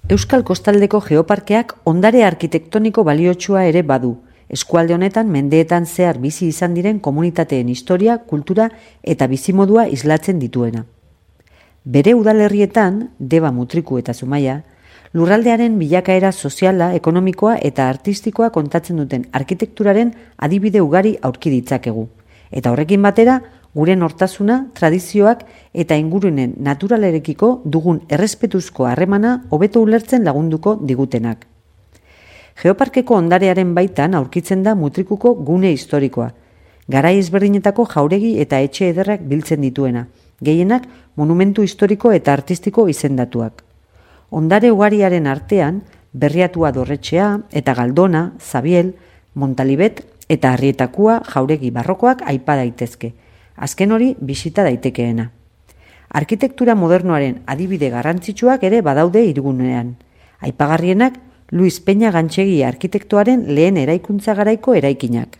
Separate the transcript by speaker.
Speaker 1: Euskal Kostaldeko Geoparkeak ondare arkitektoniko baliotsua ere badu, eskualde honetan mendeetan zehar bizi izan diren komunitateen historia, kultura eta bizimodua islatzen dituena. Bere udalerrietan, Deba, Mutriku eta Zumaia, lurraldearen bilakaera soziala, ekonomikoa eta artistikoa kontatzen duten arkitekturaren adibide ugari aurki ditzakegu. Eta horrekin batera, gure nortasuna, tradizioak eta ingurunen naturalarekiko dugun errespetuzko harremana hobeto ulertzen lagunduko digutenak. Geoparkeko ondarearen baitan aurkitzen da Mutrikuko gune historikoa, garai ezberdinetako jauregi eta etxe ederrak biltzen dituena, gehienak monumentu historiko eta artistiko izendatuak. Ondare ugariaren artean, Berriatua dorretxea eta Galdona, Zabiel, Montalibet eta Arrietakua jauregi barrokoak aipa daitezke. Azken hori bisita daitekeena. Arkitektura modernoaren adibide garrantzitsuak ere badaude hirigunean. Aipagarrienak Luis Peña Gantxegi arkitektoaren lehen eraikuntza garaiko eraikinak.